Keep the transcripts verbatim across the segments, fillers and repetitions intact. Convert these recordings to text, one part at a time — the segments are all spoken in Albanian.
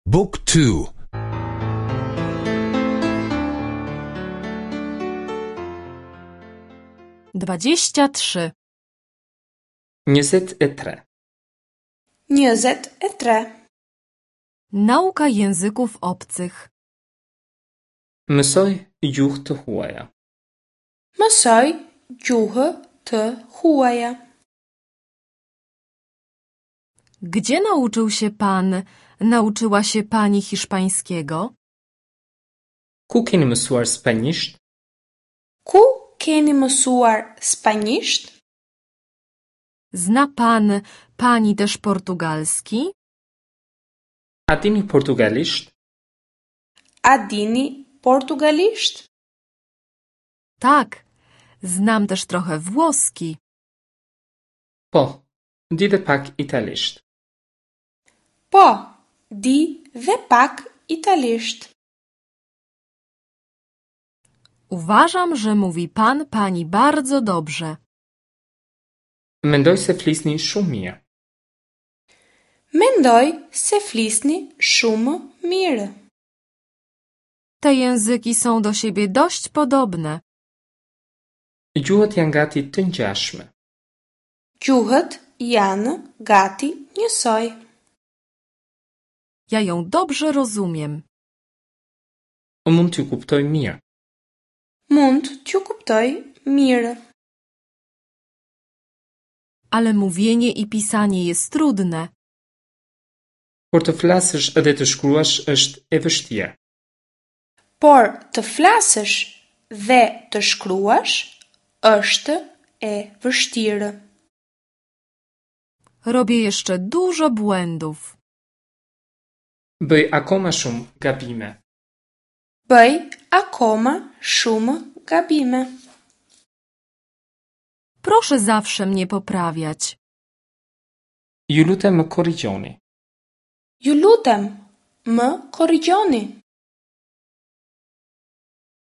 Book two. Dwadzieścia trzy. Njëzet e tre. Njëzet e tre. Nauka języków obcych. Mësoj gjuhë të huaja. Mësoj gjuhë të huaja. Gdzie nauczył się pan, nauczyła się pani hiszpańskiego? Ku keni mësuar spanjisht? Ku keni mësuar spanjisht? Zna pan, pani też portugalski? A dini portugalisht? A dini portugalisht? Tak, znam też trochę włoski. Po, di dhe pak italisht. Po, di dhe pak italisht. Uważam, że mówi pan, pani bardzo dobrze. Mendoj se flisni shumë mirë. Mendoj se flisni shumë mirë. Te języki są do siebie dość podobne. Gjuhët janë gati të ngjashme. Gjuhët janë gati njësoj. Ja ją dobrze rozumiem. Mund t'ju kuptoj mirë. Mund t'ju kuptoj mirë. Ale mówienie i pisanie jest trudne. Por të flasësh dhe të shkruash është e vështirë. Por të flasësh dhe të shkruash është e vështirë. Robię jeszcze dużo błędów. Bëj akoma shumë gabime. Bëj akoma shumë gabime. Proszę zawsze mnie poprawiać. Ju lutem më korrigjoni. Ju lutem, më korrigjoni.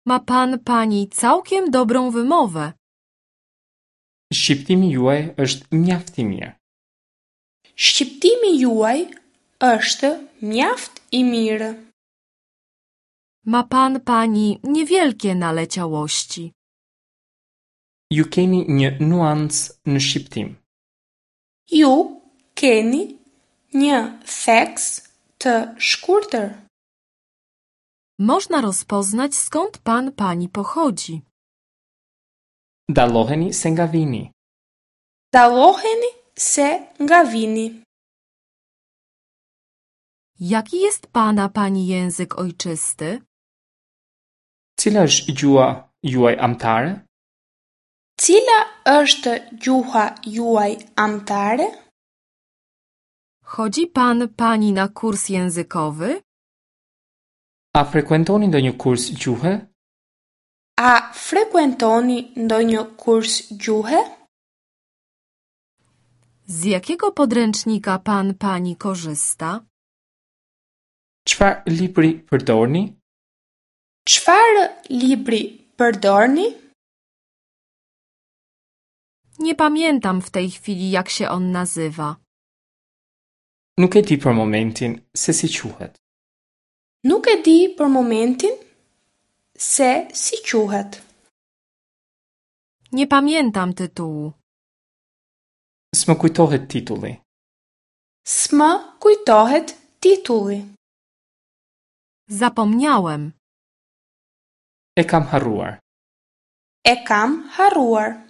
Ma pan, pani całkiem dobrą wymowę. Shqiptimi juaj është mjaft i mirë. Shqiptimi juaj është mjaft i mirë. Ma pan, pani niewielkie naleciałości. Ju keni një nuancë në shqiptim. Ju keni një theks të shkurtër. Można rozpoznać, skąd pan, pani pochodzi. Dalloheni se nga vini. Dalloheni se nga vini. Jaki jest pana, pani język ojczysty? Cila është gjuha juaj amtare? Cila është gjuha juaj amtare? Chodzi pan, pani na kurs językowy? A frekuentoni ndonjë kurs gjuhe? A frekuentoni ndonjë kurs gjuhe? Z jakiego podręcznika pan, pani korzysta? Çfarë libri përdorni? Çfarë libri përdorni? Nie pamiętam w tej chwili, jak się on nazywa. Nuk e di për momentin se si quhet. Nuk e di për momentin se si quhet. Nie pamiętam tytułu. S'më kujtohet titulli. S'më kujtohet titulli. Zapomniałem. E kam harruar. E kam harruar.